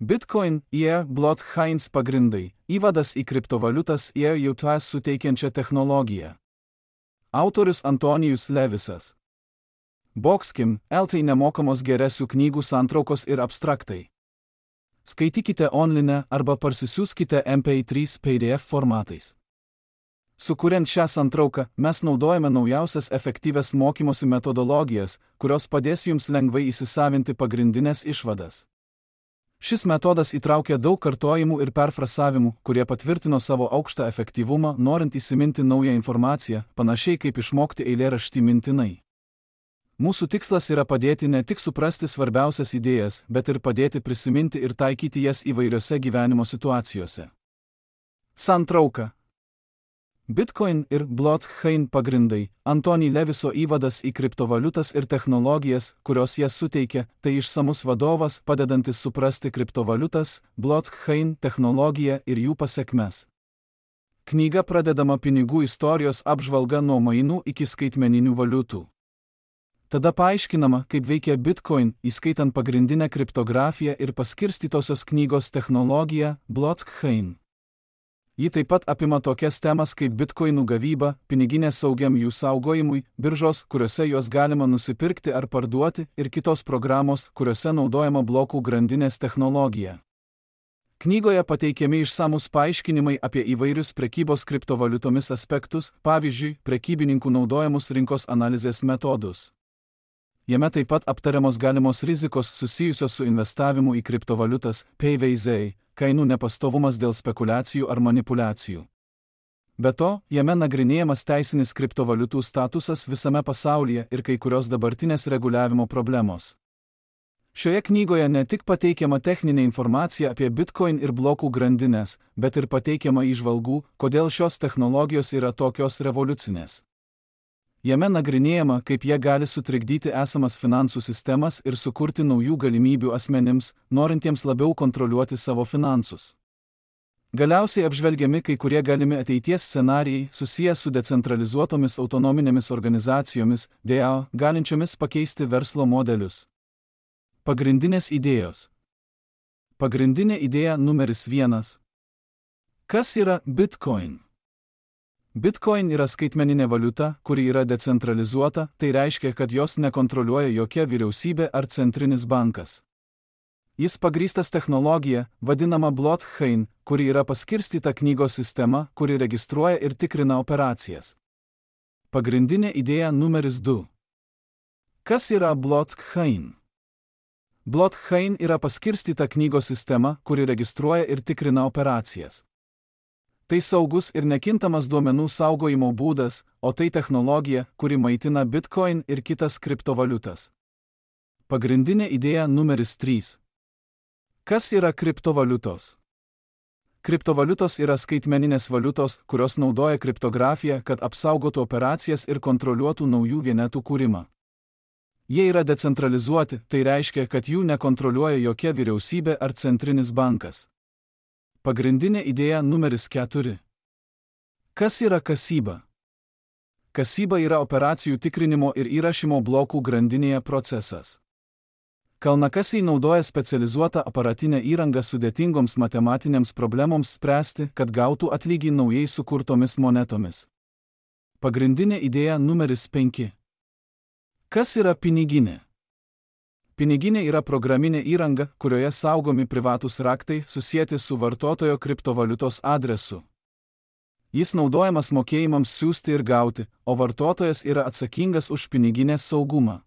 Bitcoin ir blockchains pagrindai – įvadas į kriptovaliutas ir jautas suteikiančią technologiją. Autorius Antonijus Levisas. Boxkim, LT nemokamos geresių knygų santraukos ir abstraktai. Skaitykite online arba parsisiųskite MP3 PDF formatais. Sukuriant šią santrauką, mes naudojame naujausias efektyvias mokymosi metodologijas, kurios padės jums lengvai įsisavinti pagrindinės išvadas. Šis metodas įtraukia daug kartojimų ir perfrasavimų, kurie patvirtino savo aukštą efektyvumą, norint įsiminti naują informaciją, panašiai kaip išmokti eilėraštį mintinai. Mūsų tikslas yra padėti ne tik suprasti svarbiausias idėjas, bet ir padėti prisiminti ir taikyti jas įvairiose gyvenimo situacijose. Santrauka. Bitcoin ir blockchain pagrindai – Antony Leviso įvadas į kriptovaliutas ir technologijas, kurios jas suteikia, tai išsamus vadovas, padedantis suprasti kriptovaliutas, blockchain technologiją ir jų pasekmes. Knyga pradedama pinigų istorijos apžvalga nuo mainų iki skaitmeninių valiutų. Tada paaiškinama, kaip veikia Bitcoin, įskaitant pagrindinę kriptografiją ir paskirstytosios knygos technologiją – blockchain. Ji taip pat apima tokias temas kaip bitkoinų gavyba, piniginės saugiam jų saugojimui, biržos, kuriuose juos galima nusipirkti ar parduoti, ir kitos programos, kuriuose naudojama blokų grandinės technologija. Knygoje pateikiami išsamūs paaiškinimai apie įvairius prekybos kriptovaliutomis aspektus, pavyzdžiui, prekybininkų naudojamus rinkos analizės metodus. Jame taip pat aptariamos galimos rizikos susijusios su investavimu į kriptovaliutas, PVZ, kainų nepastovumas dėl spekulacijų ar manipulacijų. Be to, jame nagrinėjamas teisinis kriptovaliutų statusas visame pasaulyje ir kai kurios dabartinės reguliavimo problemos. Šioje knygoje ne tik pateikiama techninė informacija apie Bitcoin ir blokų grandinės, bet ir pateikiama įžvalgų, kodėl šios technologijos yra tokios revoliucinės. Jame nagrinėjama, kaip jie gali sutrikdyti esamas finansų sistemas ir sukurti naujų galimybių asmenims, norintiems labiau kontroliuoti savo finansus. Galiausiai apžvelgiami kai kurie galimi ateities scenarijai susiję su decentralizuotomis autonominėmis organizacijomis, DAO, galinčiomis pakeisti verslo modelius. Pagrindinės idėjos. Pagrindinė idėja numeris 1. Kas yra Bitcoin? Bitcoin yra skaitmeninė valiuta, kuri yra decentralizuota, tai reiškia, kad jos nekontroliuoja jokia vyriausybė ar centrinis bankas. Jis pagrįstas technologija, vadinama blockchain, kuri yra paskirstyta knygos sistema, kuri registruoja ir tikrina operacijas. Pagrindinė idėja numeris 2. Kas yra blockchain? Blockchain yra paskirstyta knygos sistema, kuri registruoja ir tikrina operacijas. Tai saugus ir nekintamas duomenų saugojimo būdas, o tai technologija, kuri maitina Bitcoin ir kitas kriptovaliutas. Pagrindinė idėja numeris 3. Kas yra kriptovaliutos? Kriptovaliutos yra skaitmeninės valiutos, kurios naudoja kriptografiją, kad apsaugotų operacijas ir kontroliuotų naujų vienetų kūrimą. Jie yra decentralizuoti, tai reiškia, kad jų nekontroliuoja jokia vyriausybė ar centrinis bankas. Pagrindinė idėja numeris 4. Kas yra kasyba? Kasyba yra operacijų tikrinimo ir įrašymo blokų grandinėje procesas. Kalnakasiai naudoja specializuotą aparatinę įrangą sudėtingoms matematinėms problemoms spręsti, kad gautų atlygį naujai sukurtomis monetomis. Pagrindinė idėja numeris 5. Kas yra piniginė? Piniginė yra programinė įranga, kurioje saugomi privatūs raktai susieti su vartotojo kriptovaliutos adresu. Jis naudojamas mokėjimams siųsti ir gauti, o vartotojas yra atsakingas už piniginės saugumą.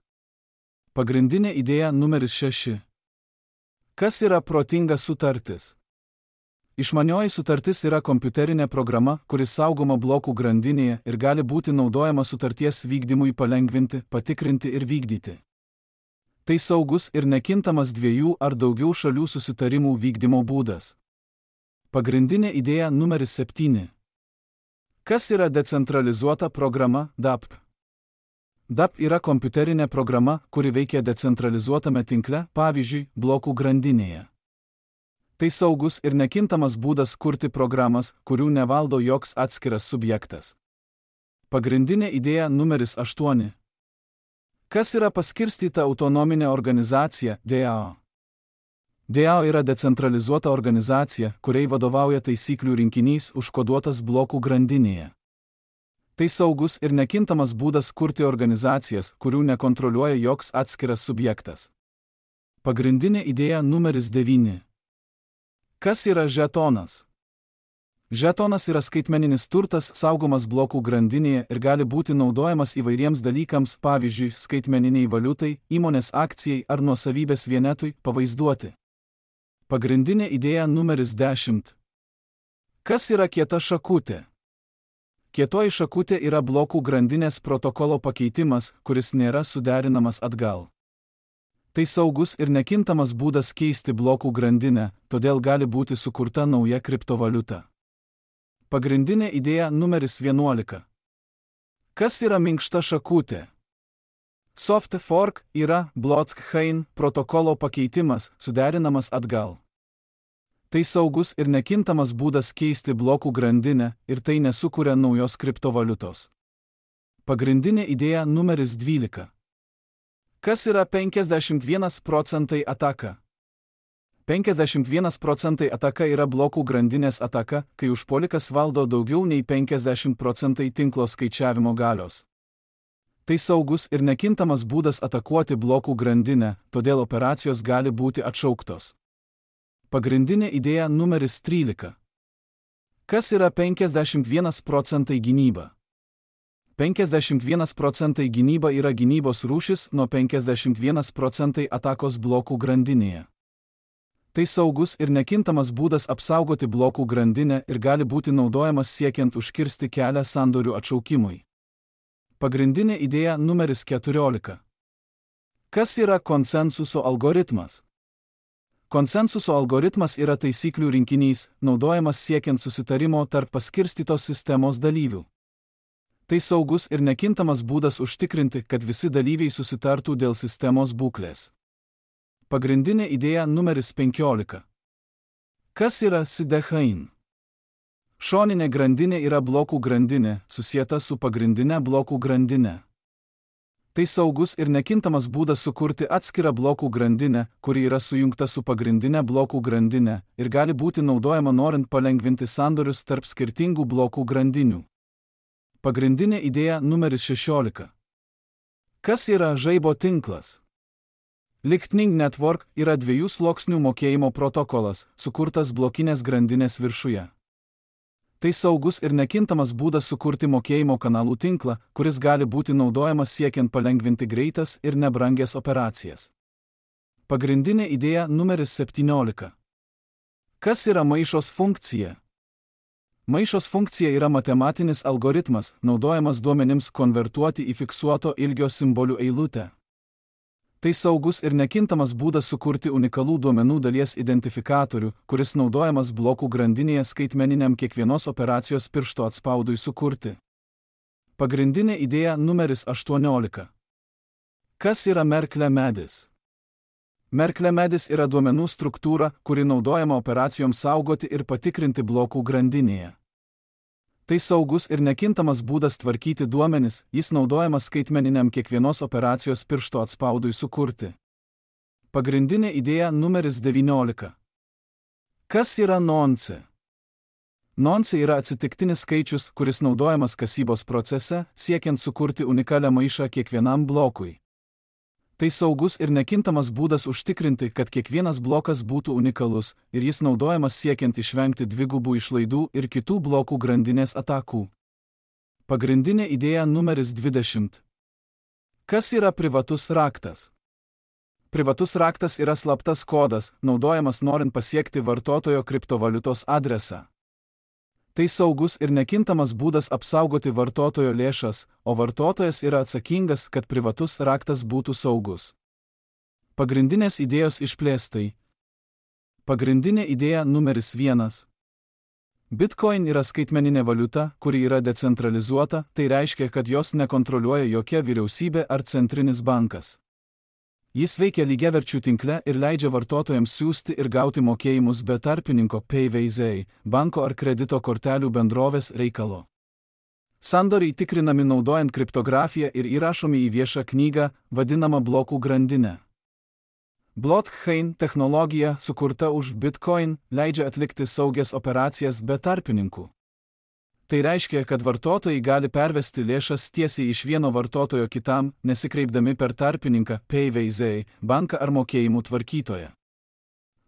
Pagrindinė idėja numeris 6. Kas yra protinga sutartis? Išmanioji sutartis yra kompiuterinė programa, kuri saugoma blokų grandinėje ir gali būti naudojama sutarties vykdymui palengvinti, patikrinti ir vykdyti. Tai saugus ir nekintamas 2 ar daugiau šalių susitarimų vykdymo būdas. Pagrindinė idėja numeris 7. Kas yra decentralizuota programa DApp? DApp yra kompiuterinė programa, kuri veikia decentralizuotame tinkle, pavyzdžiui, blokų grandinėje. Tai saugus ir nekintamas būdas kurti programas, kurių nevaldo joks atskiras subjektas. Pagrindinė idėja numeris 8. Kas yra paskirstyta autonominė organizacija DAO? DAO yra decentralizuota organizacija, kuriai vadovauja taisyklių rinkinys užkoduotas blokų grandinėje. Tai saugus ir nekintamas būdas kurti organizacijas, kurių nekontroliuoja joks atskiras subjektas. Pagrindinė idėja numeris 9. Kas yra žetonas? Žetonas yra skaitmeninis turtas saugomas blokų grandinėje ir gali būti naudojamas įvairiems dalykams, pavyzdžiui, skaitmeniniai valiutai, įmonės akcijai ar nuosavybės vienetui pavaizduoti. Pagrindinė idėja numeris 10. Kas yra kieta šakutė? Kietoji šakutė yra blokų grandinės protokolo pakeitimas, kuris nėra suderinamas atgal. Tai saugus ir nekintamas būdas keisti blokų grandinę, todėl gali būti sukurta nauja kriptovaliuta. Pagrindinė idėja numeris 11. Kas yra minkšta šakutė? Soft fork yra blockchain protokolo pakeitimas, suderinamas atgal. Tai saugus ir nekintamas būdas keisti blokų grandinę ir tai nesukuria naujos kriptovaliutos. Pagrindinė idėja numeris 12. Kas yra 51% ataka? 51% ataka yra blokų grandinės ataka, kai užpuolikas valdo daugiau nei 50% tinklo skaičiavimo galios. Tai saugus ir nekintamas būdas atakuoti blokų grandinę, todėl operacijos gali būti atšauktos. Pagrindinė idėja numeris 13. Kas yra 51% gynyba? 51% gynyba yra gynybos rūšis nuo 51% atakos blokų grandinėje. Tai saugus ir nekintamas būdas apsaugoti blokų grandinę ir gali būti naudojamas siekiant užkirsti kelią sandorių atšaukimui. Pagrindinė idėja numeris 14. Kas yra konsensuso algoritmas? Konsensuso algoritmas yra taisyklių rinkinys, naudojamas siekiant susitarimo tarp paskirstytos sistemos dalyvių. Tai saugus ir nekintamas būdas užtikrinti, kad visi dalyviai susitartų dėl sistemos būklės. Pagrindinė idėja numeris 15. Kas yra sidechain? Šoninė grandinė yra blokų grandinė, susieta su pagrindinė blokų grandinė. Tai saugus ir nekintamas būdas sukurti atskirą blokų grandinę, kuri yra sujungta su pagrindinė blokų grandinė ir gali būti naudojama norint palengvinti sandorius tarp skirtingų blokų grandinių. Pagrindinė idėja numeris 16. Kas yra žaibo tinklas? Lightning Network yra 2 sluoksnių mokėjimo protokolas, sukurtas blokinės grandinės viršuje. Tai saugus ir nekintamas būdas sukurti mokėjimo kanalų tinklą, kuris gali būti naudojamas siekiant palengvinti greitas ir nebrangias operacijas. Pagrindinė idėja numeris 17. Kas yra maišos funkcija? Maišos funkcija yra matematinis algoritmas, naudojamas duomenims konvertuoti į fiksuoto ilgio simbolių eilutę. Tai saugus ir nekintamas būdas sukurti unikalų duomenų dalies identifikatorių, kuris naudojamas blokų grandinėje skaitmeniniam kiekvienos operacijos piršto atspaudui sukurti. Pagrindinė idėja numeris 18. Kas yra Merkle medis? Merkle medis yra duomenų struktūra, kuri naudojama operacijoms saugoti ir patikrinti blokų grandinėje. Tai saugus ir nekintamas būdas tvarkyti duomenis, jis naudojamas skaitmeniniam kiekvienos operacijos piršto atspaudui sukurti. Pagrindinė idėja numeris 19. Kas yra nonce? Nonce yra atsitiktinis skaičius, kuris naudojamas kasybos procese, siekiant sukurti unikalią maišą kiekvienam blokui. Tai saugus ir nekintamas būdas užtikrinti, kad kiekvienas blokas būtų unikalus ir jis naudojamas siekiant išvengti dvigubų išlaidų ir kitų blokų grandinės atakų. Pagrindinė idėja numeris 20. Kas yra privatus raktas? Privatus raktas yra slaptas kodas, naudojamas norint pasiekti vartotojo kriptovaliutos adresą. Tai saugus ir nekintamas būdas apsaugoti vartotojo lėšas, o vartotojas yra atsakingas, kad privatus raktas būtų saugus. Pagrindinės idėjos išplėstai. Pagrindinė idėja numeris 1. Bitcoin yra skaitmeninė valiuta, kuri yra decentralizuota, tai reiškia, kad jos nekontroliuoja jokia vyriausybė ar centrinis bankas. Jis veikia lygiaverčių tinkle ir leidžia vartotojams siųsti ir gauti mokėjimus be tarpininko PayVazai, banko ar kredito kortelių bendrovės reikalo. Sandoriai tikrinami naudojant kriptografiją ir įrašomi į viešą knygą, vadinamą blokų grandinę. Blockchain technologija, sukurta už Bitcoin, leidžia atlikti saugias operacijas be tarpininkų. Tai reiškia, kad vartotojai gali pervesti lėšas tiesiai iš vieno vartotojo kitam, nesikreipdami per tarpininką, PayVZ, banką ar mokėjimų tvarkytoją.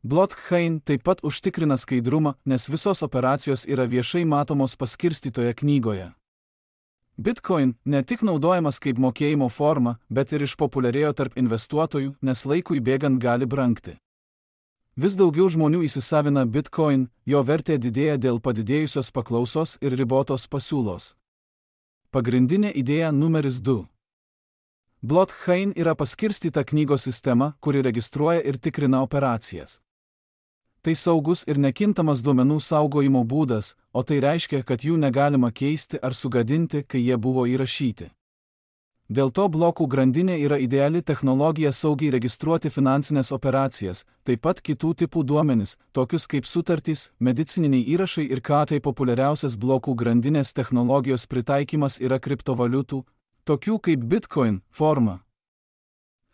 Blockchain taip pat užtikrina skaidrumą, nes visos operacijos yra viešai matomos paskirstytoje knygoje. Bitcoin ne tik naudojamas kaip mokėjimo forma, bet ir išpopuliarėjo tarp investuotojų, nes laikui bėgant gali brangti. Vis daugiau žmonių įsisavina Bitcoin, jo vertė didėja dėl padidėjusios paklausos ir ribotos pasiūlos. Pagrindinė idėja numeris 2. Blockchain yra paskirstyta knygos sistema, kuri registruoja ir tikrina operacijas. Tai saugus ir nekintamas duomenų saugojimo būdas, o tai reiškia, kad jų negalima keisti ar sugadinti, kai jie buvo įrašyti. Dėl to blokų grandinė yra ideali technologija saugiai registruoti finansinės operacijas, taip pat kitų tipų duomenis, tokius kaip sutartys, medicininiai įrašai ir tai populiariausias blokų grandinės technologijos pritaikymas yra kriptovaliutų, tokių kaip Bitcoin, forma.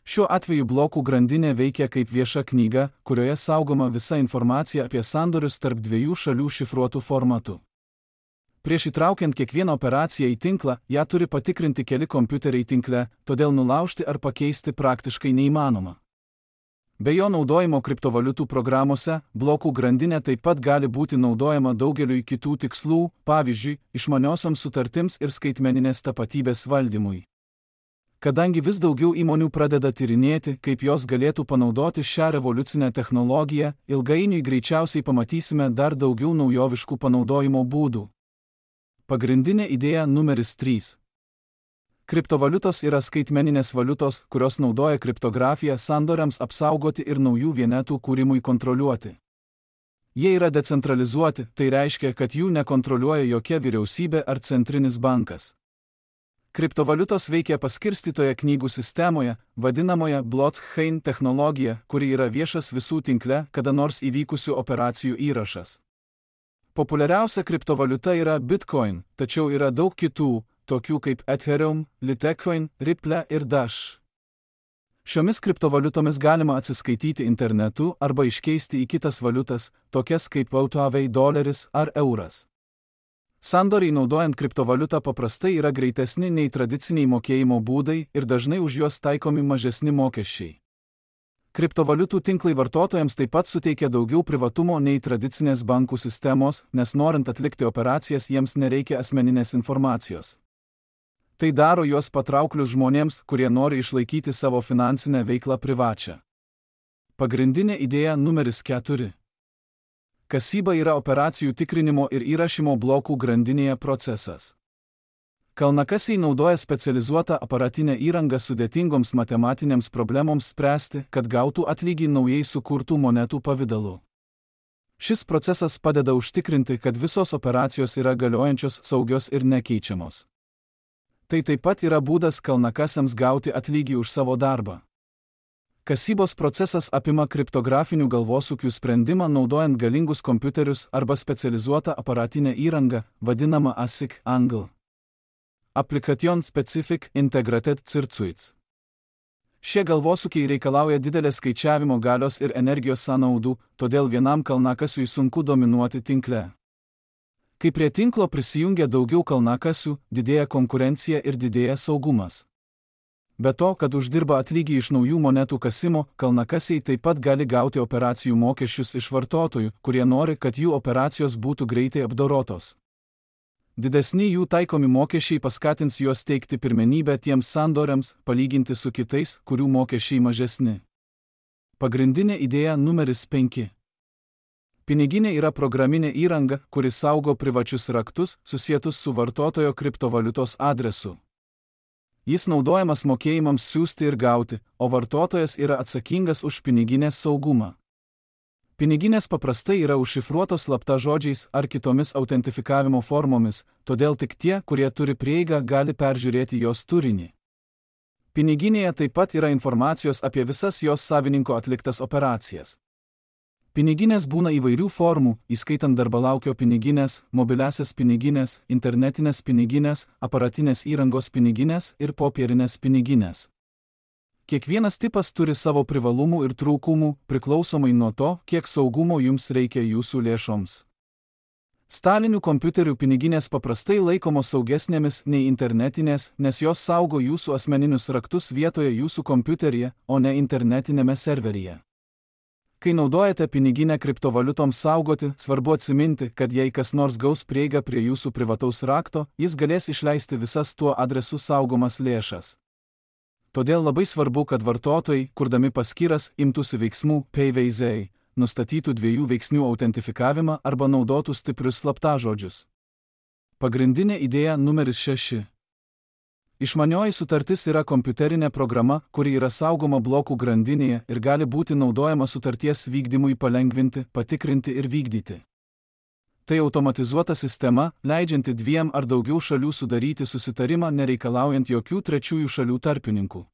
Šiuo atveju blokų grandinė veikia kaip vieša knyga, kurioje saugoma visa informacija apie sandorius tarp dviejų šalių šifruotų formatų. Prieš įtraukiant kiekvieną operaciją į tinklą, ją turi patikrinti keli kompiuteriai tinkle, todėl nulaužti ar pakeisti praktiškai neįmanoma. Be jo naudojimo kriptovaliutų programuose, blokų grandinė taip pat gali būti naudojama daugeliui kitų tikslų, pavyzdžiui, išmaniosioms sutartims ir skaitmeninės tapatybės valdymui. Kadangi vis daugiau įmonių pradeda tyrinėti, kaip jos galėtų panaudoti šią revoliucinę technologiją, ilgainiui greičiausiai pamatysime dar daugiau naujoviškų panaudojimo būdų. Pagrindinė idėja numeris 3. Kriptovaliutos yra skaitmeninės valiutos, kurios naudoja kriptografiją sandoriams apsaugoti ir naujų vienetų kūrimui kontroliuoti. Jie yra decentralizuoti, tai reiškia, kad jų nekontroliuoja jokia vyriausybė ar centrinis bankas. Kriptovaliutos veikia paskirstytoje knygų sistemoje, vadinamoje blockchain technologija, kuri yra viešas visų tinkle kada nors įvykusių operacijų įrašas. Populiariausia kriptovaliuta yra Bitcoin, tačiau yra daug kitų, tokių kaip Ethereum, Litecoin, Ripple ir Dash. Šiomis kriptovaliutomis galima atsiskaityti internetu arba iškeisti į kitas valiutas, tokias kaip JAV doleris ar euras. Sandoriai naudojant kriptovaliutą paprastai yra greitesni nei tradiciniai mokėjimo būdai ir dažnai už juos taikomi mažesni mokesčiai. Kriptovaliutų tinklai vartotojams taip pat suteikia daugiau privatumo nei tradicinės bankų sistemos, nes norint atlikti operacijas jiems nereikia asmeninės informacijos. Tai daro juos patrauklius žmonėms, kurie nori išlaikyti savo finansinę veiklą privačią. Pagrindinė idėja numeris 4. Kasyba yra operacijų tikrinimo ir įrašymo blokų grandinėje procesas. Kalnakasiai naudoja specializuotą aparatinę įrangą sudėtingoms matematinėms problemoms spręsti, kad gautų atlygį naujai sukurtų monetų pavidalu. Šis procesas padeda užtikrinti, kad visos operacijos yra galiojančios, saugios ir nekeičiamos. Tai taip pat yra būdas kalnakasiams gauti atlygį už savo darbą. Kasybos procesas apima kriptografinių galvosūkių sprendimą naudojant galingus kompiuterius arba specializuotą aparatinę įrangą, vadinamą ASIC angle. Application Specific Integrated Circuits. Šie galvosūkiai reikalauja didelės skaičiavimo galios ir energijos sąnaudų, todėl vienam kalnakasiui sunku dominuoti tinkle. Kai prie tinklo prisijungia daugiau kalnakasių, didėja konkurencija ir didėja saugumas. Be to, kad uždirba atlygį iš naujų monetų kasimo, kalnakasiai taip pat gali gauti operacijų mokesčius iš vartotojų, kurie nori, kad jų operacijos būtų greitai apdorotos. Didesni jų taikomi mokesčiai paskatins juos teikti pirmenybę tiems sandoriams, palyginti su kitais, kurių mokesčiai mažesni. Pagrindinė idėja numeris 5. Piniginė yra programinė įranga, kuri saugo privačius raktus, susietus su vartotojo kriptovaliutos adresu. Jis naudojamas mokėjimams siųsti ir gauti, o vartotojas yra atsakingas už piniginės saugumą. Piniginės paprastai yra užšifruotos slaptažodžiais ar kitomis autentifikavimo formomis, todėl tik tie, kurie turi prieigą, gali peržiūrėti jos turinį. Piniginėje taip pat yra informacijos apie visas jos savininko atliktas operacijas. Piniginės būna įvairių formų, įskaitant darbalaukio piniginės, mobiliasias piniginės, internetinės piniginės, aparatinės įrangos piniginės ir popierinės piniginės. Kiekvienas tipas turi savo privalumų ir trūkumų, priklausomai nuo to, kiek saugumo jums reikia jūsų lėšoms. Stalinių kompiuterių piniginės paprastai laikomos saugesnėmis nei internetinės, nes jos saugo jūsų asmeninius raktus vietoje jūsų kompiuteryje, o ne internetinėme serveryje. Kai naudojate piniginę kriptovaliutoms saugoti, svarbu atsiminti, kad jei kas nors gaus prieigą prie jūsų privataus rakto, jis galės išleisti visas tuo adresu saugomas lėšas. Todėl labai svarbu, kad vartotojai, kurdami paskyras, imtųsi veiksmų PayVazai, nustatytų dviejų veiksnių autentifikavimą arba naudotų stiprius slaptažodžius. Pagrindinė idėja numeris 6. Išmanioji sutartis yra kompiuterinė programa, kuri yra saugoma blokų grandinėje ir gali būti naudojama sutarties vykdymui palengvinti, patikrinti ir vykdyti. Tai automatizuota sistema, leidžianti 2 ar daugiau šalių sudaryti susitarimą nereikalaujant jokių trečiųjų šalių tarpininkų.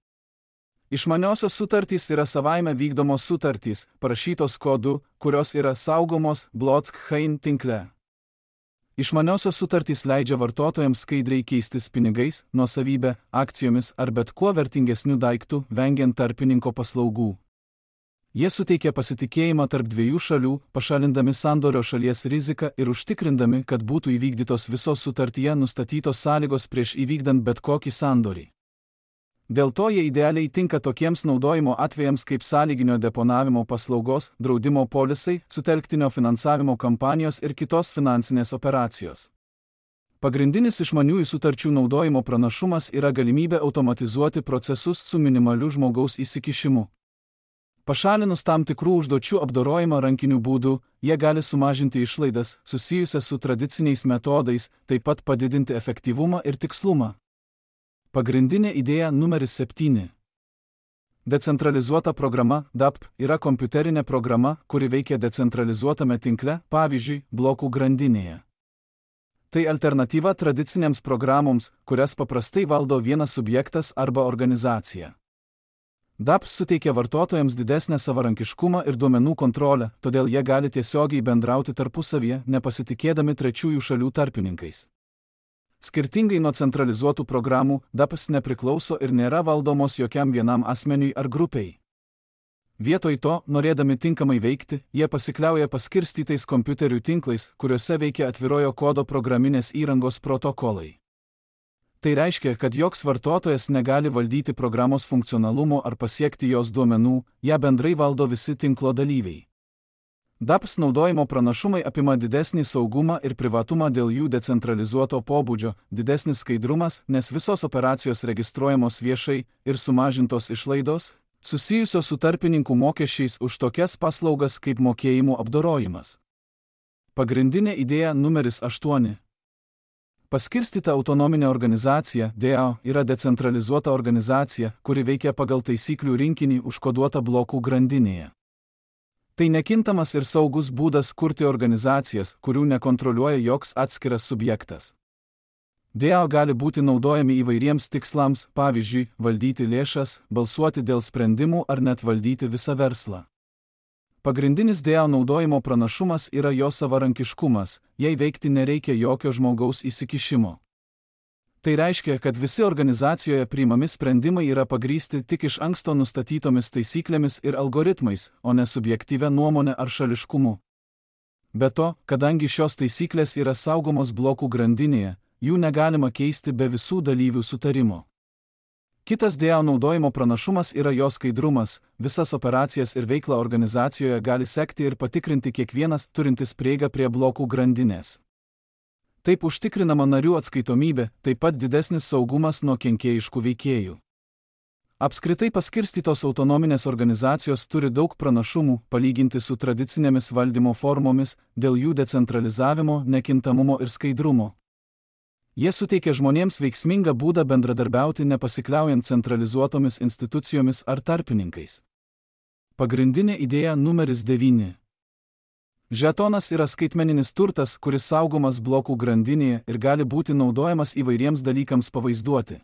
Išmaniosios sutartys yra savaime vykdomos sutartys, parašytos kodu, kurios yra saugomos blockchain tinkle. Išmaniosios sutartys leidžia vartotojams skaidriai keistis pinigais, nuosavybę, akcijomis ar bet kuo vertingesniu daiktu, vengiant tarpininko paslaugų. Jie suteikia pasitikėjimą tarp 2 šalių, pašalindami sandorio šalies riziką ir užtikrindami, kad būtų įvykdytos visos sutartyje nustatytos sąlygos prieš įvykdant bet kokį sandorį. Dėl to jie idealiai tinka tokiems naudojimo atvejams kaip sąlyginio deponavimo paslaugos, draudimo polisai, sutelktinio finansavimo kampanijos ir kitos finansinės operacijos. Pagrindinis išmaniųjų sutarčių naudojimo pranašumas yra galimybė automatizuoti procesus su minimaliu žmogaus įsikišimu. Pašalinus tam tikrų užduočių apdorojimą rankiniu būdu, jie gali sumažinti išlaidas, susijusias su tradiciniais metodais, taip pat padidinti efektyvumą ir tikslumą. Pagrindinė idėja numeris 7. Decentralizuota programa DApp yra kompiuterinė programa, kuri veikia decentralizuotame tinkle, pavyzdžiui, blokų grandinėje. Tai alternatyva tradicinėms programoms, kurias paprastai valdo vienas subjektas arba organizacija. DApp suteikia vartotojams didesnę savarankiškumą ir duomenų kontrolę, todėl jie gali tiesiogiai bendrauti tarpusavyje, nepasitikėdami trečiųjų šalių tarpininkais. Skirtingai nuo centralizuotų programų, DAppas nepriklauso ir nėra valdomos jokiam vienam asmeniui ar grupiai. Vietoj to, norėdami tinkamai veikti, jie pasikliauja paskirstytais kompiuterių tinklais, kuriuose veikia atvirojo kodo programinės įrangos protokolai. Tai reiškia, kad joks vartotojas negali valdyti programos funkcionalumo ar pasiekti jos duomenų, ją bendrai valdo visi tinklo dalyviai. DApps naudojimo pranašumai apima didesnį saugumą ir privatumą dėl jų decentralizuoto pobūdžio, didesnis skaidrumas, nes visos operacijos registruojamos viešai ir sumažintos išlaidos, susijusios su tarpininkų mokesčiais už tokias paslaugas kaip mokėjimų apdorojimas. Pagrindinė idėja numeris 8. Paskirstyta autonominė organizacija, DAO, yra decentralizuota organizacija, kuri veikia pagal taisyklių rinkinį užkoduotą blokų grandinėje. Tai nekintamas ir saugus būdas kurti organizacijas, kurių nekontroliuoja joks atskiras subjektas. DAO gali būti naudojami įvairiems tikslams, pavyzdžiui, valdyti lėšas, balsuoti dėl sprendimų ar net valdyti visą verslą. Pagrindinis DAO naudojimo pranašumas yra jo savarankiškumas, jei veikti nereikia jokio žmogaus įsikišimo. Tai reiškia, kad visi organizacijoje priimami sprendimai yra pagrįsti tik iš anksto nustatytomis taisyklėmis ir algoritmais, o ne subjektyvia nuomonė ar šališkumu. Be to, kadangi šios taisyklės yra saugomos blokų grandinėje, jų negalima keisti be visų dalyvių sutarimo. Kitas DAO naudojimo pranašumas yra jo skaidrumas, visas operacijas ir veiklą organizacijoje gali sekti ir patikrinti kiekvienas turintis prieigą prie blokų grandinės. Taip užtikrinama narių atskaitomybė, taip pat didesnis saugumas nuo kenkėjiškų veikėjų. Apskritai paskirstytos autonominės organizacijos turi daug pranašumų, palyginti su tradicinėmis valdymo formomis, dėl jų decentralizavimo, nekintamumo ir skaidrumo. Jie suteikia žmonėms veiksmingą būdą bendradarbiauti nepasikliaujant centralizuotomis institucijomis ar tarpininkais. Pagrindinė idėja numeris 9. Žetonas yra skaitmeninis turtas, kuris saugomas blokų grandinėje ir gali būti naudojamas įvairiems dalykams pavaizduoti.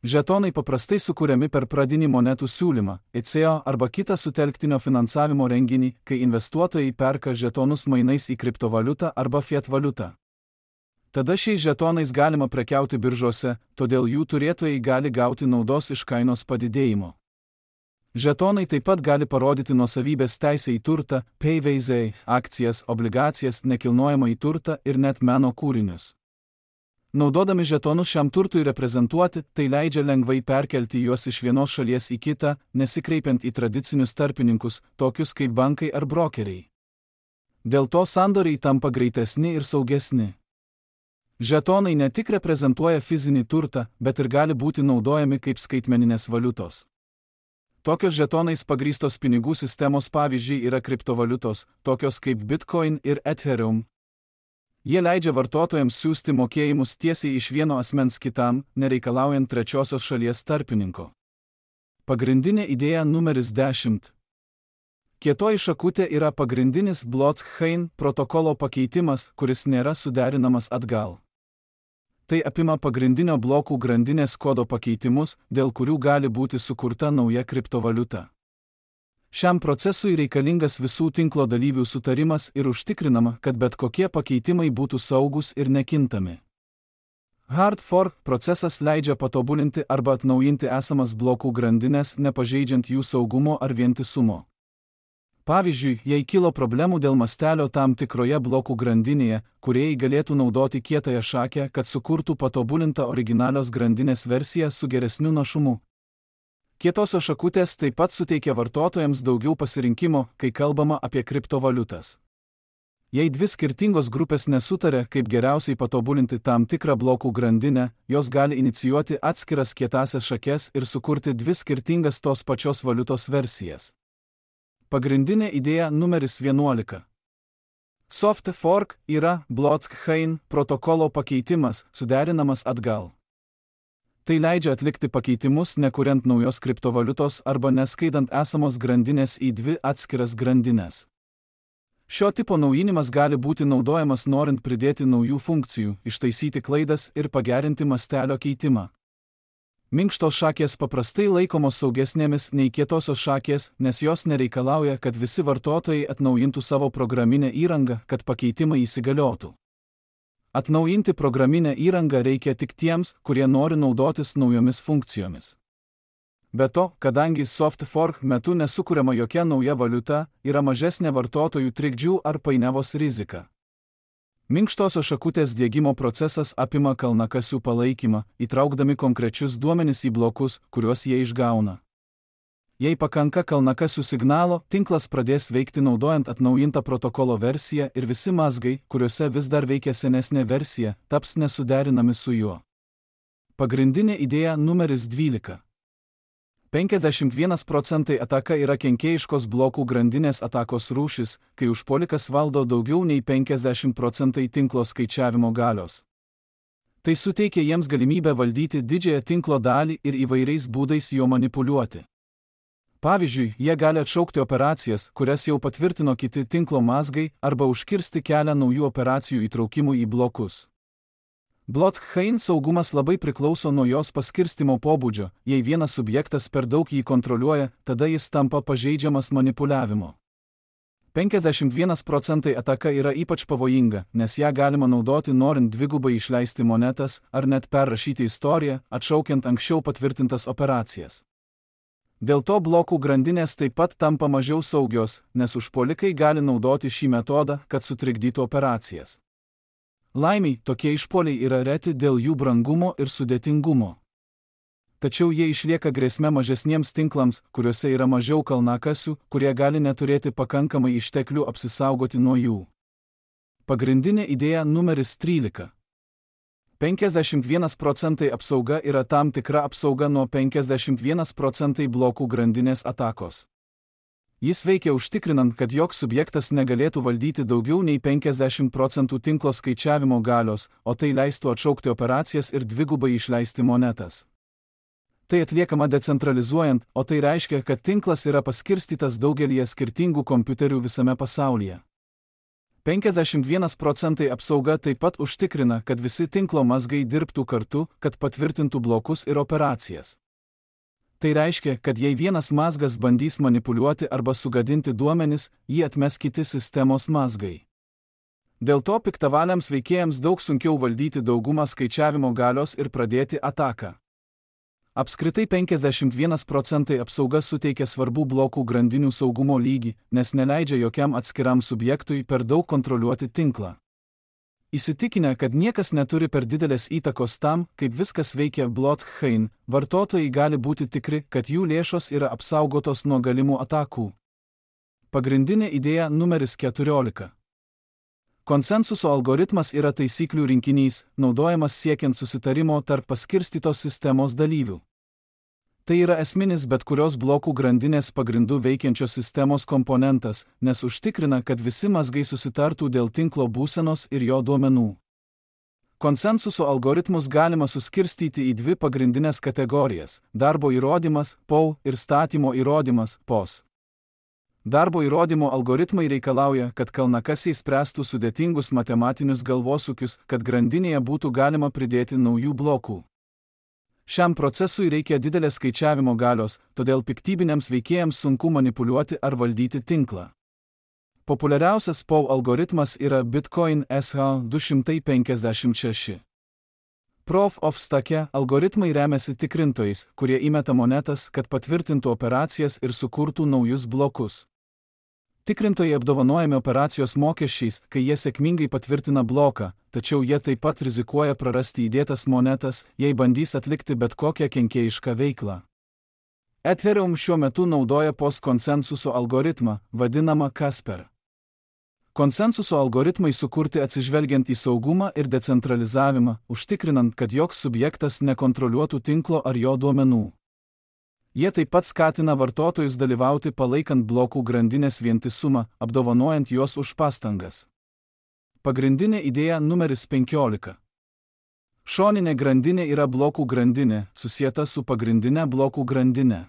Žetonai paprastai sukuriami per pradinį monetų siūlymą, ICO arba kitą sutelktinio finansavimo renginį, kai investuotojai perka žetonus mainais į kriptovaliutą arba fiat valiutą. Tada šiais žetonais galima prekiauti biržose, todėl jų turėtojai gali gauti naudos iš kainos padidėjimo. Žetonai taip pat gali parodyti nuosavybės teisę į turtą, payveizai, akcijas, obligacijas, nekilnojamąjį turtą ir net meno kūrinius. Naudodami žetonus šiam turtui reprezentuoti, tai leidžia lengvai perkelti juos iš vienos šalies į kitą, nesikreipiant į tradicinius tarpininkus, tokius kaip bankai ar brokeriai. Dėl to sandoriai tampa greitesni ir saugesni. Žetonai ne tik reprezentuoja fizinį turtą, bet ir gali būti naudojami kaip skaitmeninės valiutos. Tokios žetonais pagrįstos pinigų sistemos pavyzdžiai yra kriptovaliutos, tokios kaip Bitcoin ir Ethereum. Jie leidžia vartotojams siųsti mokėjimus tiesiai iš vieno asmens kitam, nereikalaujant trečiosios šalies tarpininko. Pagrindinė idėja numeris 10. Kietoji šakutė yra pagrindinis blockchain protokolo pakeitimas, kuris nėra suderinamas atgal. Tai apima pagrindinio blokų grandinės kodo pakeitimus, dėl kurių gali būti sukurta nauja kriptovaliuta. Šiam procesui reikalingas visų tinklo dalyvių sutarimas ir užtikrinama, kad bet kokie pakeitimai būtų saugus ir nekintami. Hard fork procesas leidžia patobulinti arba atnaujinti esamas blokų grandinės, nepažeidžiant jų saugumo ar vientisumo. Pavyzdžiui, jei kilo problemų dėl mastelio tam tikroje blokų grandinėje, kūrėjai galėtų naudoti kietąją šakę, kad sukurtų patobulintą originalios grandinės versiją su geresniu našumu. Kietosios šakutės taip pat suteikia vartotojams daugiau pasirinkimo, kai kalbama apie kriptovaliutas. Jei dvi skirtingos grupės nesutarė, kaip geriausiai patobulinti tam tikrą blokų grandinę, jos gali inicijuoti atskiras kietąsias šakes ir sukurti dvi skirtingas tos pačios valiutos versijas. Pagrindinė idėja numeris 11. Soft fork yra blockchain protokolo pakeitimas, suderinamas atgal. Tai leidžia atlikti pakeitimus, nekuriant naujos kriptovaliutos arba neskaidant esamos grandinės į dvi atskiras grandines. Šio tipo naujinimas gali būti naudojamas norint pridėti naujų funkcijų, ištaisyti klaidas ir pagerinti mastelio keitimą. Minkštos šakės paprastai laikomos saugesnėmis nei kietosios šakės, nes jos nereikalauja, kad visi vartotojai atnaujintų savo programinę įrangą, kad pakeitimai įsigaliotų. Atnaujinti programinę įrangą reikia tik tiems, kurie nori naudotis naujomis funkcijomis. Be to, kadangi soft fork metu nesukuriama jokia nauja valiuta, yra mažesnė vartotojų trikdžių ar painiavos rizika. Minkštosios šakutės diegimo procesas apima kalnakasių palaikymą, įtraukdami konkrečius duomenis į blokus, kuriuos jie išgauna. Jei pakanka kalnakasių signalo, tinklas pradės veikti naudojant atnaujintą protokolo versiją ir visi mazgai, kuriuose vis dar veikia senesnė versija, taps nesuderinami su juo. Pagrindinė idėja numeris 12. 51% ataka yra kenkėjiškos blokų grandinės atakos rūšis, kai užpuolikas valdo daugiau nei 50% tinklo skaičiavimo galios. Tai suteikia jiems galimybę valdyti didžiąją tinklo dalį ir įvairiais būdais jo manipuliuoti. Pavyzdžiui, jie gali atšaukti operacijas, kurias jau patvirtino kiti tinklo mazgai, arba užkirsti kelią naujų operacijų įtraukimui į blokus. Blockchain saugumas labai priklauso nuo jos paskirstimo pobūdžio, jei vienas subjektas per daug jį kontroliuoja, tada jis tampa pažeidžiamas manipuliavimo. 51% ataka yra ypač pavojinga, nes ją galima naudoti norint dvigubai išleisti monetas ar net perrašyti istoriją, atšaukiant anksčiau patvirtintas operacijas. Dėl to blokų grandinės taip pat tampa mažiau saugios, nes užpuolikai gali naudoti šį metodą, kad sutrikdytų operacijas. Laimiai, tokie išpuoliai yra reti dėl jų brangumo ir sudėtingumo. Tačiau jie išlieka grėsme mažesniems tinklams, kuriuose yra mažiau kalnakasių, kurie gali neturėti pakankamai išteklių apsisaugoti nuo jų. Pagrindinė idėja numeris 13. 51% apsauga yra tam tikra apsauga nuo 51% blokų grandinės atakos. Jis veikia užtikrinant, kad joks subjektas negalėtų valdyti daugiau nei 50% tinklo skaičiavimo galios, o tai leistų atšaukti operacijas ir dvigubai išleisti monetas. Tai atliekama decentralizuojant, o tai reiškia, kad tinklas yra paskirstytas daugelyje skirtingų kompiuterių visame pasaulyje. 51% apsauga taip pat užtikrina, kad visi tinklo mazgai dirbtų kartu, kad patvirtintų blokus ir operacijas. Tai reiškia, kad jei vienas mazgas bandys manipuliuoti arba sugadinti duomenis, jį atmes kiti sistemos mazgai. Dėl to piktavaliams veikėjams daug sunkiau valdyti daugumą skaičiavimo galios ir pradėti ataką. Apskritai 51% apsauga suteikia svarbų blokų grandinių saugumo lygį, nes neleidžia jokiam atskiram subjektui per daug kontroliuoti tinklą. Įsitikinę, kad niekas neturi per didelės įtakos tam, kaip viskas veikia blockchain, vartotojai gali būti tikri, kad jų lėšos yra apsaugotos nuo galimų atakų. Pagrindinė idėja numeris 14. Konsensuso algoritmas yra taisyklių rinkinys, naudojamas siekiant susitarimo tarp paskirstytos sistemos dalyvių. Tai yra esminis bet kurios blokų grandinės pagrindų veikiančios sistemos komponentas, nes užtikrina, kad visi mazgai susitartų dėl tinklo būsenos ir jo duomenų. Konsensuso algoritmus galima suskirstyti į dvi pagrindinės kategorijas – darbo įrodymas, POW, ir statymo įrodymas, POS. Darbo įrodymo algoritmai reikalauja, kad kalnakasiai spręstų sudėtingus matematinius galvosūkius, kad grandinėje būtų galima pridėti naujų blokų. Šiam procesui reikia didelės skaičiavimo galios, todėl piktybiniams veikėjams sunku manipuliuoti ar valdyti tinklą. Populiariausias POW algoritmas yra Bitcoin SH256. Proof of Stake algoritmai remiasi tikrintojais, kurie įmeta monetas, kad patvirtintų operacijas ir sukurtų naujus blokus. Tikrintojai apdovanojami operacijos mokesčiais, kai jie sėkmingai patvirtina bloką, tačiau jie taip pat rizikuoja prarasti įdėtas monetas, jei bandys atlikti bet kokią kenkėjišką veiklą. Ethereum šiuo metu naudoja POS konsensuso algoritmą, vadinamą Casper. Konsensuso algoritmai sukurti atsižvelgiant į saugumą ir decentralizavimą, užtikrinant, kad joks subjektas nekontroliuotų tinklo ar jo duomenų. Jie taip pat skatina vartotojus dalyvauti palaikant blokų grandinės vientisumą, apdovanojant juos už pastangas. Pagrindinė idėja numeris 15. Šoninė grandinė yra blokų grandinė, susieta su pagrindinė blokų grandinė.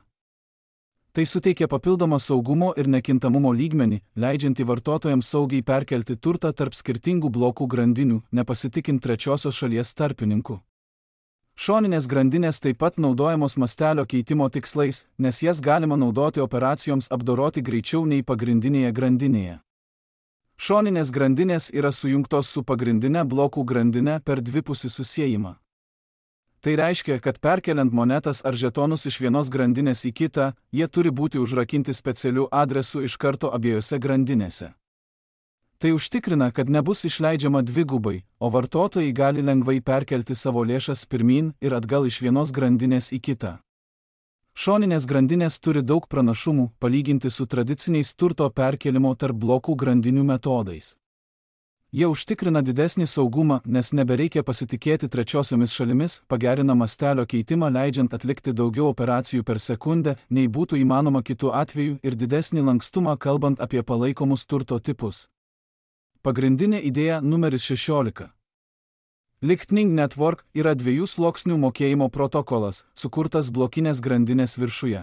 Tai suteikia papildomą saugumo ir nekintamumo lygmenį, leidžiantį vartotojams saugiai perkelti turtą tarp skirtingų blokų grandinių, nepasitikint trečiosios šalies tarpininkų. Šoninės grandinės taip pat naudojamos mastelio keitimo tikslais, nes jas galima naudoti operacijoms apdoroti greičiau nei pagrindinėje grandinėje. Šoninės grandinės yra sujungtos su pagrindinė blokų grandinė per dvipusį susiejimą. Tai reiškia, kad perkeliant monetas ar žetonus iš vienos grandinės į kitą, jie turi būti užrakinti specialiu adresu iš karto abiejose grandinėse. Tai užtikrina, kad nebus išleidžiama dvigubai, o vartotojai gali lengvai perkelti savo lėšas pirmyn ir atgal iš vienos grandinės į kitą. Šoninės grandinės turi daug pranašumų, palyginti su tradiciniais turto perkelimo tarp blokų grandinių metodais. Jie užtikrina didesnį saugumą, nes nebereikia pasitikėti trečiosiomis šalimis, pagerina mastelio keitimą leidžiant atlikti daugiau operacijų per sekundę, nei būtų įmanoma kitų atveju ir didesnį lankstumą kalbant apie palaikomus turto tipus. Pagrindinė idėja numeris 16. Lightning Network yra 2 sluoksnių mokėjimo protokolas, sukurtas blokinės grandinės viršuje.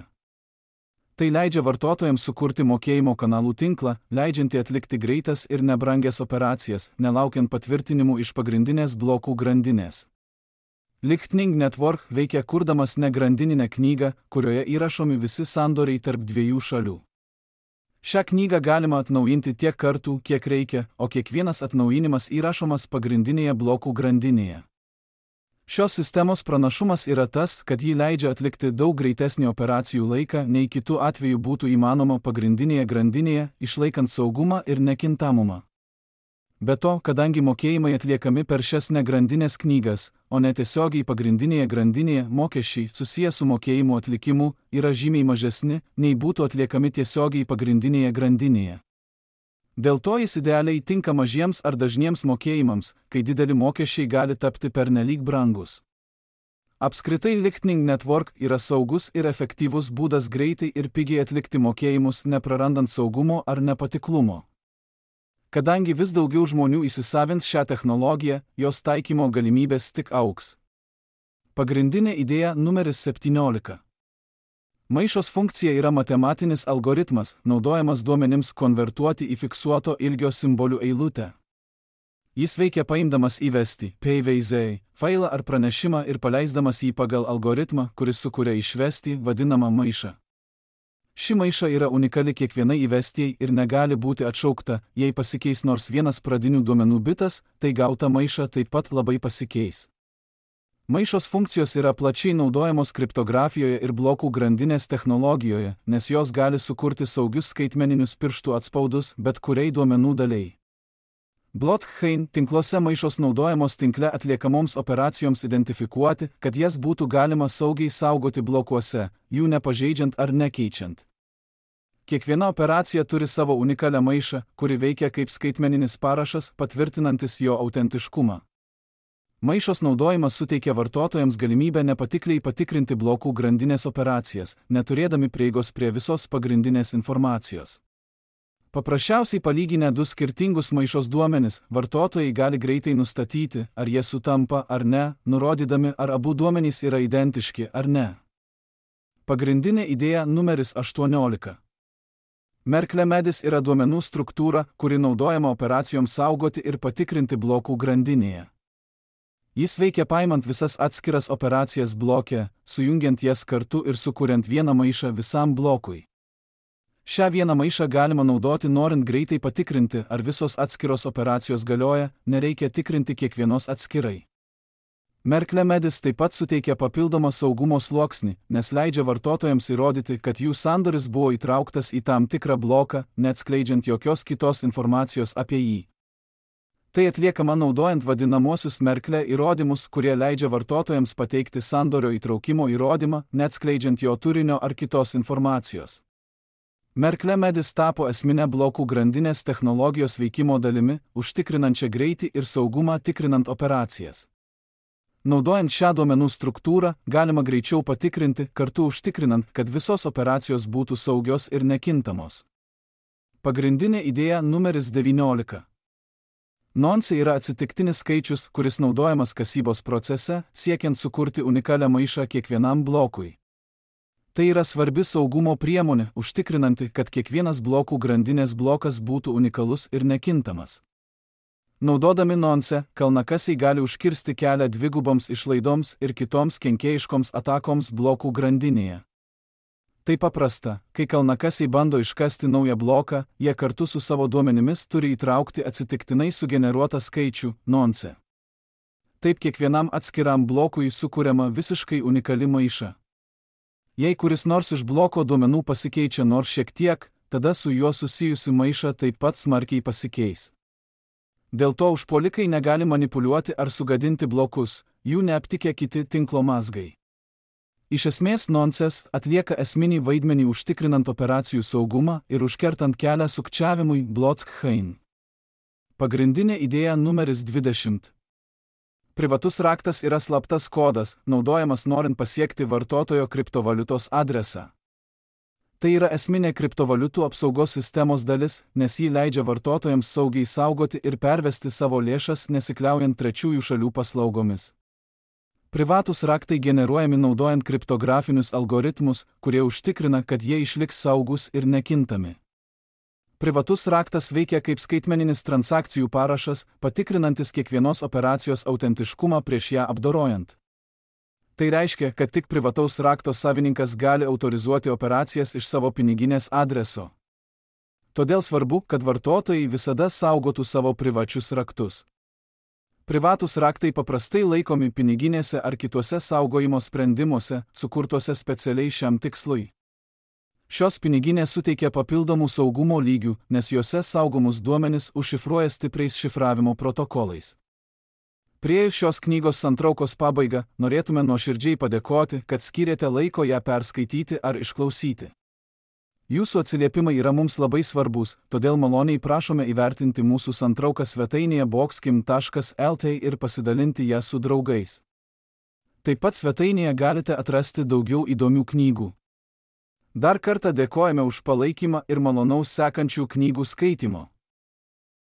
Tai leidžia vartotojams sukurti mokėjimo kanalų tinklą, leidžiantį atlikti greitas ir nebrangias operacijas, nelaukiant patvirtinimų iš pagrindinės blokų grandinės. Lightning Network veikia kurdamas negrandininę knygą, kurioje įrašomi visi sandoriai tarp 2 šalių. Šią knygą galima atnaujinti tiek kartų, kiek reikia, o kiekvienas atnaujinimas įrašomas pagrindinėje blokų grandinėje. Šios sistemos pranašumas yra tas, kad ji leidžia atlikti daug greitesnį operacijų laiką, nei kitų atveju būtų įmanoma pagrindinėje grandinėje, išlaikant saugumą ir nekintamumą. Be to, kadangi mokėjimai atliekami per šias negrandinės knygas, o ne tiesiogiai pagrindinėje grandinėje, mokesčiai susiję su mokėjimų atlikimu yra žymiai mažesni, nei būtų atliekami tiesiogiai pagrindinėje grandinėje. Dėl to jis idealiai tinka mažiems ar dažniems mokėjimams, kai dideli mokesčiai gali tapti pernelyg brangus. Apskritai Lightning Network yra saugus ir efektyvus būdas greitai ir pigiai atlikti mokėjimus, neprarandant saugumo ar nepatiklumo. Kadangi vis daugiau žmonių įsisavins šią technologiją, jos taikymo galimybės tik augs. Pagrindinė idėja numeris 17. Maišos funkcija yra matematinis algoritmas, naudojamas duomenims konvertuoti į fiksuoto ilgio simbolių eilutę. Jis veikia paimdamas įvesti PVZ failą ar pranešimą ir paleisdamas jį pagal algoritmą, kuris sukuria išvesti vadinamą maišą. Ši maiša yra unikali kiekvienai įvestijai ir negali būti atšaukta, jei pasikeis nors vienas pradinių duomenų bitas, tai gauta maiša taip pat labai pasikeis. Maišos funkcijos yra plačiai naudojamos kriptografijoje ir blokų grandinės technologijoje, nes jos gali sukurti saugius skaitmeninius pirštų atspaudus bet kuriai duomenų daliai. Blockchain tinkluose maišos naudojamos tinkle atliekamoms operacijoms identifikuoti, kad jas būtų galima saugiai saugoti blokuose, jų nepažeidžiant ar nekeičiant. Kiekviena operacija turi savo unikalią maišą, kuri veikia kaip skaitmeninis parašas, patvirtinantis jo autentiškumą. Maišos naudojimas suteikia vartotojams galimybę nepatikliai patikrinti blokų grandinės operacijas, neturėdami prieigos prie visos pagrindinės informacijos. Paprasčiausiai palyginę du skirtingus maišos duomenis, vartotojai gali greitai nustatyti, ar jie sutampa ar ne, nurodydami, ar abu duomenys yra identiški ar ne. Pagrindinė idėja numeris 18. Merkle Medis yra duomenų struktūra, kuri naudojama operacijoms saugoti ir patikrinti blokų grandinėje. Jis veikia paimant visas atskiras operacijas bloke, sujungiant jas kartu ir sukuriant vieną maišą visam blokui. Šią vieną maišą galima naudoti norint greitai patikrinti, ar visos atskiros operacijos galioja, nereikia tikrinti kiekvienos atskirai. Merkle Medis taip pat suteikia papildomą saugumo sluoksnį, nes leidžia vartotojams įrodyti, kad jų sandoris buvo įtrauktas į tam tikrą bloką, neatskleidžiant jokios kitos informacijos apie jį. Tai atliekama naudojant vadinamosius Merkle įrodymus, kurie leidžia vartotojams pateikti sandorio įtraukimo įrodymą, neatskleidžiant jo turinio ar kitos informacijos. Merkle Medis tapo esminę blokų grandinės technologijos veikimo dalimi, užtikrinančią greitį ir saugumą tikrinant operacijas. Naudojant šią duomenų struktūrą, galima greičiau patikrinti, kartu užtikrinant, kad visos operacijos būtų saugios ir nekintamos. Pagrindinė idėja numeris 19. Nonce yra atsitiktinis skaičius, kuris naudojamas kasybos procese, siekiant sukurti unikalią maišą kiekvienam blokui. Tai yra svarbi saugumo priemonė, užtikrinanti, kad kiekvienas blokų grandinės blokas būtų unikalus ir nekintamas. Naudodami nonce, kalnakasiai gali užkirsti kelią dviguboms išlaidoms ir kitoms kenkėjiškoms atakoms blokų grandinėje. Tai paprasta, kai kalnakasiai bando iškasti naują bloką, jie kartu su savo duomenimis turi įtraukti atsitiktinai sugeneruotą skaičių, nonce. Taip kiekvienam atskiram blokui sukuriama visiškai unikali maiša. Jei kuris nors iš bloko duomenų pasikeičia nors šiek tiek, tada su juo susijusi maiša taip pat smarkiai pasikeis. Dėl to užpuolikai negali manipuliuoti ar sugadinti blokus, jų neaptikę kiti tinklo mazgai. Iš esmės nonces atlieka esminį vaidmenį užtikrinant operacijų saugumą ir užkertant kelią sukčiavimui blockchain. Pagrindinė idėja numeris 20. Privatus raktas yra slaptas kodas, naudojamas norint pasiekti vartotojo kriptovaliutos adresą. Tai yra esminė kriptovaliutų apsaugos sistemos dalis, nes ji leidžia vartotojams saugiai saugoti ir pervesti savo lėšas nesikliaujant trečiųjų šalių paslaugomis. Privatūs raktai generuojami naudojant kriptografinius algoritmus, kurie užtikrina, kad jie išliks saugus ir nekintami. Privatus raktas veikia kaip skaitmeninis transakcijų parašas, patikrinantis kiekvienos operacijos autentiškumą prieš ją apdorojant. Tai reiškia, kad tik privataus rakto savininkas gali autorizuoti operacijas iš savo piniginės adreso. Todėl svarbu, kad vartotojai visada saugotų savo privačius raktus. Privatūs raktai paprastai laikomi piniginėse ar kituose saugojimo sprendimuose, sukurtuose specialiai šiam tikslui. Šios piniginės suteikia papildomų saugumo lygių, nes juose saugomus duomenis užšifruoja stipriais šifravimo protokolais. Priėjus šios knygos santraukos pabaigą, norėtume nuoširdžiai padėkoti, kad skyrėte laiko ją perskaityti ar išklausyti. Jūsų atsiliepimai yra mums labai svarbus, todėl maloniai prašome įvertinti mūsų santrauką svetainėje boxkim.lt ir pasidalinti ją su draugais. Taip pat svetainėje galite atrasti daugiau įdomių knygų. Dar kartą dėkojame už palaikymą ir malonaus sekančių knygų skaitimo.